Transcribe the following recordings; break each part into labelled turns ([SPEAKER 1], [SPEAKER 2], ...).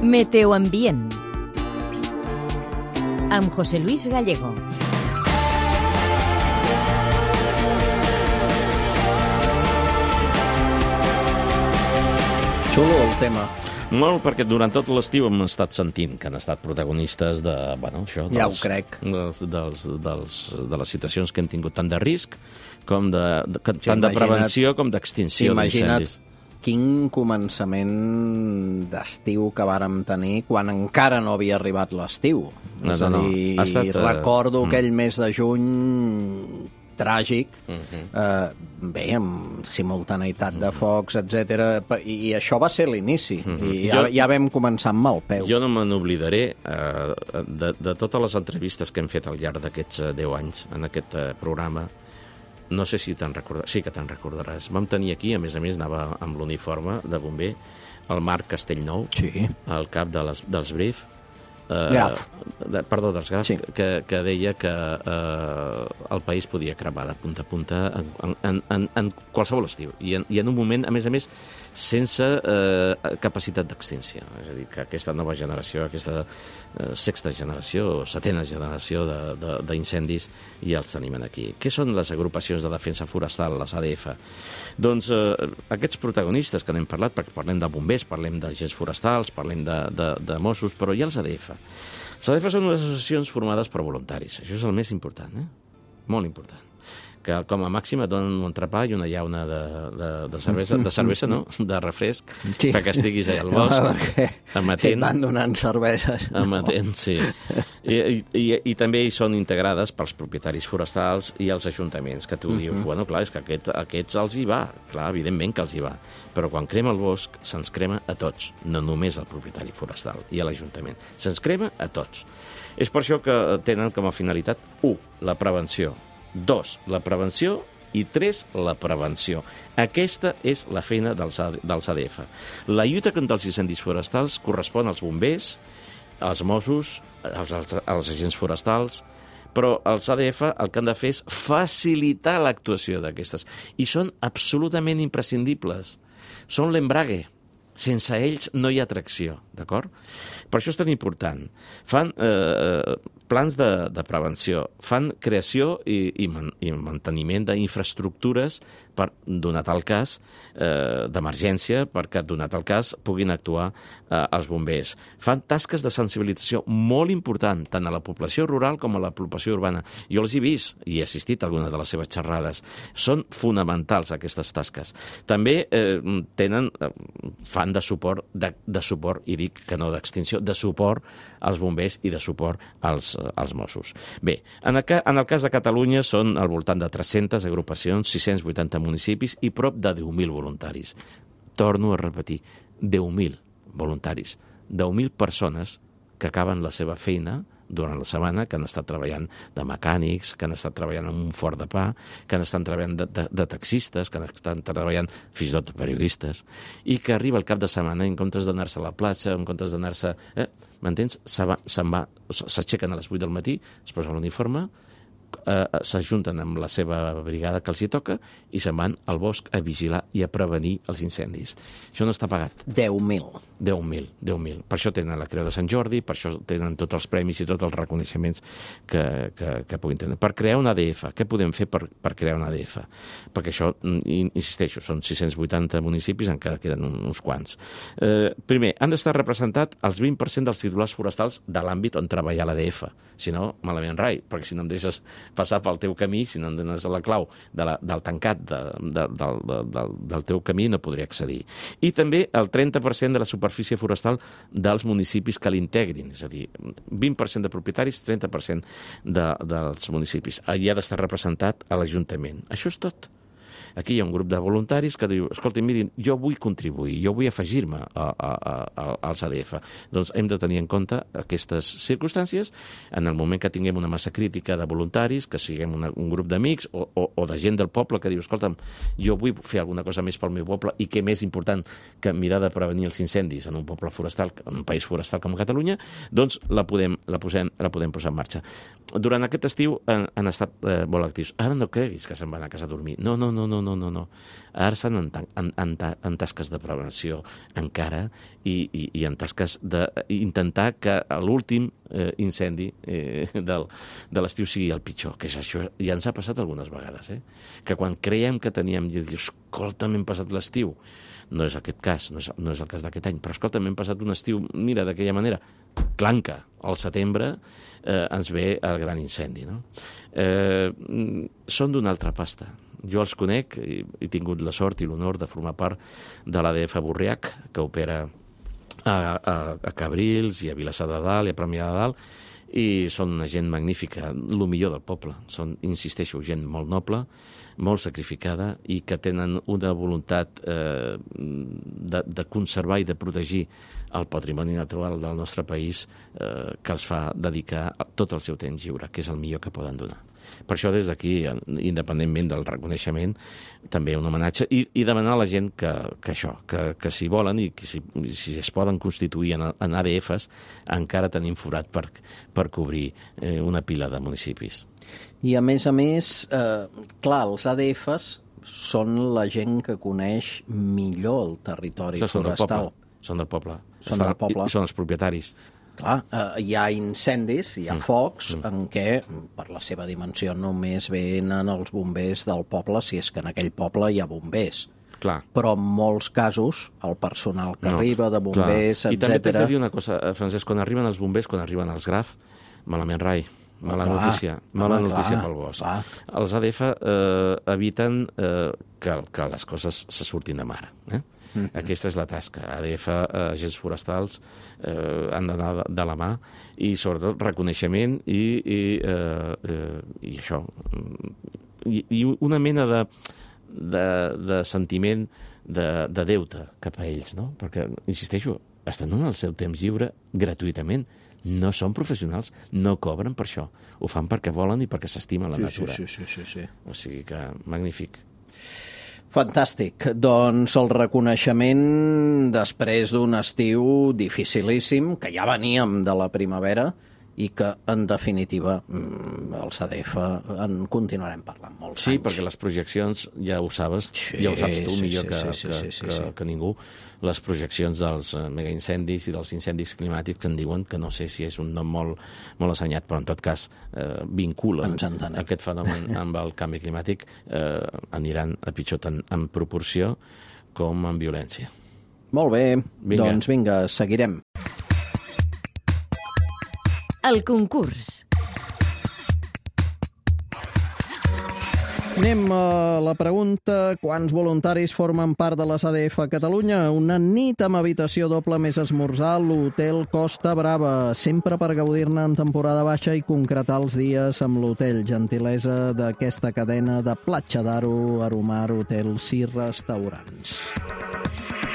[SPEAKER 1] Meteoambient amb José Luis Gallego.
[SPEAKER 2] Xulo el tema.
[SPEAKER 3] Molt, perquè durant tot l'estiu hem estat sentint que han estat protagonistes de, bueno, això,
[SPEAKER 2] Ja ho crec.
[SPEAKER 3] de les situacions que hem tingut tant de risc com tant de prevenció com d'extinció d'incendis.
[SPEAKER 2] Quin començament d'estiu que vàrem tenir quan encara no havia arribat l'estiu. És a dir, recordo aquell mes de juny tràgic, bé, amb simultaneïtat de focs, etc. I això va ser l'inici, i ja vam començar amb mal peu.
[SPEAKER 3] Jo no me n'oblidaré de totes les entrevistes que hem fet al llarg d'aquests 10 anys en aquest programa. No sé si te'n recordaràs, sí que te'n recordaràs. Vam tenir aquí, a més anava amb l'uniforme de bomber, el Marc Castellnou,
[SPEAKER 2] sí,
[SPEAKER 3] el cap dels Graf,
[SPEAKER 2] sí,
[SPEAKER 3] que deia que el país podia cremar de punta a punta en qualsevol estiu. I en un moment, a més, sense capacitat d'extinció. És a dir, que aquesta nova generació, aquesta sexta generació o setena generació d'incendis ja els tenim aquí. Què són les agrupacions de defensa forestal, les ADF? Doncs aquests protagonistes que n'hem parlat, perquè parlem de bombers, parlem d'agents forestals, parlem de Mossos, però hi ha els ADF. Les ADF són unes associacions formades per voluntaris. Això és el més important, molt important. Que com a màxim et donen un entrepà i una llauna de cervesa, no? De refresc, sí, perquè estiguis allà al bosc, amatent.
[SPEAKER 2] Sí, van donant cerveses.
[SPEAKER 3] Amatent, sí. I també hi són integrades pels propietaris forestals i els ajuntaments, que tu dius, bueno, clar, és que aquests els hi va. Clar, evidentment que els hi va. Però quan crema el bosc, se'ns crema a tots, no només al propietari forestal i a l'Ajuntament. Se'ns crema a tots. És per això que tenen com a finalitat, 1, la prevenció, 2, la prevenció, i 3, la prevenció. Aquesta és la feina dels ADF. La lluita contra els incendis forestals correspon als bombers, als Mossos, als agents forestals, però els ADF el que han de fer és facilitar l'actuació d'aquestes. I són absolutament imprescindibles. Són l'embrague. Sense ells no hi ha tracció, d'acord? Per això és tan important. Fan plans de prevenció, fan creació i manteniment d'infraestructures per, donat el cas, d'emergència, perquè, donat el cas, puguin actuar els bombers. Fan tasques de sensibilització molt important, tant a la població rural com a la població urbana. Jo els he vist i he assistit a algunes de les seves xerrades. Són fonamentals, aquestes tasques. També fan de suport, i dic que no d'extinció, de suport als bombers i de suport als Mossos. Bé, en el cas de Catalunya són al voltant de 300 agrupacions, 680 municipis i prop de 10.000 voluntaris. Torno a repetir, 10.000 voluntaris, 10.000 persones que acaben la seva feina durant la setmana, que han estat treballant de mecànics, que han estat treballant en un forn de pa, que han estat treballant de taxistes, que han estat treballant fins i tot de periodistes, i que arriba el cap de setmana, en comptes d'anar-se a la platja, en comptes d'anar-se... M'entens? S'aixequen a les 8 del matí, es posen l'uniforme, s'ajunten amb la seva brigada que els hi toca i se'n van al bosc a vigilar i a prevenir els incendis. Això no està pagat.
[SPEAKER 2] 10.000.
[SPEAKER 3] 10.000. Per això tenen la Creu de Sant Jordi, per això tenen tots els premis i tots els reconeixements que puguin tenir. Per crear una ADF, què podem fer per crear una ADF? Perquè això, insisteixo, són 680 municipis, encara queden uns quants. Primer, han d'estar representats els 20% dels titulars forestals de l'àmbit on treballa l'ADF. Si no, malament rai, perquè si no em deixes passar pel teu camí, si no em dones la clau del tancat del teu camí, no podré accedir. I també el 30% de la superfície forestal dels municipis que l'integrin, és a dir, 20% de propietaris, 30% dels municipis. Allà ha d'estar representat a l'Ajuntament. Això és tot. Aquí hi ha un grup de voluntaris que diu, escolta, mirin, jo vull contribuir, jo vull afegir-me als ADF. Doncs hem de tenir en compte aquestes circumstàncies en el moment que tinguem una massa crítica de voluntaris, que siguem un grup d'amics o de gent del poble que diu, escolta'm, jo vull fer alguna cosa més pel meu poble i què més important que mirar de prevenir els incendis en un poble forestal, en un país forestal com Catalunya, doncs la podem posar en marxa. Durant aquest estiu han estat molt actius. Ara no creguis que se'n van a casa a dormir. No. Ara estan en tasques de prevenció encara i en tasques d'intentar que l'últim incendi de l'estiu sigui el pitjor, que és això. Ja ens ha passat algunes vegades, que quan creiem que teníem, i dius, escolta, m'hem passat l'estiu. No és aquest cas, no és el cas d'aquest any, però escolta, m'hem passat un estiu, mira, d'aquella manera, clanca, al setembre ens ve el gran incendi, no? Són d'una altra pasta. Jo els conec, he tingut la sort i l'honor de formar part de l'ADF Borriac, que opera a Cabrils i a Vilassar de Dalt i a Premià de Dalt, i són una gent magnífica, el millor del poble. Són, insisteixo, gent molt noble, molt sacrificada i que tenen una voluntat de conservar i de protegir el patrimoni natural del nostre país que els fa dedicar tot el seu temps lliure, que és el millor que poden donar. Per això, des d'aquí, independentment del reconeixement, també un homenatge i demanar a la gent que si volen i que si es poden constituir en ADFs, encara tenim forat per cobrir una pila de municipis.
[SPEAKER 2] I a més, clar, els ADFs són la gent que coneix millor el territori forestal.
[SPEAKER 3] Són del poble.
[SPEAKER 2] Són del poble.
[SPEAKER 3] I són els propietaris.
[SPEAKER 2] Clar, hi ha incendis, hi ha focs en què, per la seva dimensió, només venen els bombers del poble, si és que en aquell poble hi ha bombers.
[SPEAKER 3] Clar.
[SPEAKER 2] Però en molts casos, el personal que arriba de bombers, etc.
[SPEAKER 3] I també t'haig de dir una cosa, Francesc, quan arriben els bombers, quan arriben els GRAF, malament rai. Mala notícia pel bosc. Clar. Els ADF eviten que les coses se surtin de mare. Aquesta és la tasca. ADF, agents forestals, han d'anar de la mà i, sobretot, reconeixement i això. I una mena de sentiment de deute cap a ells, no? Perquè, insisteixo, estan donant el seu temps lliure gratuïtament. No són professionals, no cobren per això. Ho fan perquè volen i perquè s'estima la natura.
[SPEAKER 2] Sí.
[SPEAKER 3] O sigui que, magnífic.
[SPEAKER 2] Fantàstic. Doncs el reconeixement després d'un estiu dificilíssim, que ja veníem de la primavera, i que, en definitiva, els ADF en continuarem parlant molts anys.
[SPEAKER 3] Sí, perquè les projeccions, ja ho saps, ja ho saps tu millor que ningú, les projeccions dels megaincendis i dels incendis climàtics que en diuen, que no sé si és un nom molt assenyat, però en tot cas vinculen aquest fenomen amb el canvi climàtic, aniran a pitjor tant en proporció com en violència.
[SPEAKER 2] Molt bé, doncs vinga, seguirem.
[SPEAKER 1] El concurs.
[SPEAKER 2] Anem a la pregunta: quants voluntaris formen part de les ADF a Catalunya? Una nit amb habitació doble més esmorzar a l'Hotel Costa Brava, sempre per gaudir-ne en temporada baixa i concretar els dies amb l'hotel. Gentilesa d'aquesta cadena de Platja d'Aro, Aromar Hotels i Restaurants.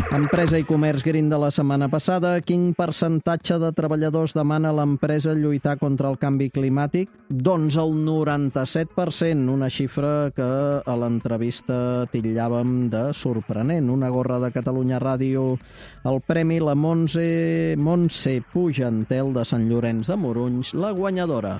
[SPEAKER 2] Empresa i Comerç Green de la setmana passada. Quin percentatge de treballadors demana a l'empresa lluitar contra el canvi climàtic? Doncs el 97%, una xifra que a l'entrevista titllàvem de sorprenent. Una gorra de Catalunya Ràdio, el premi la Montse Pugentel de Sant Llorenç de Morunys, la guanyadora.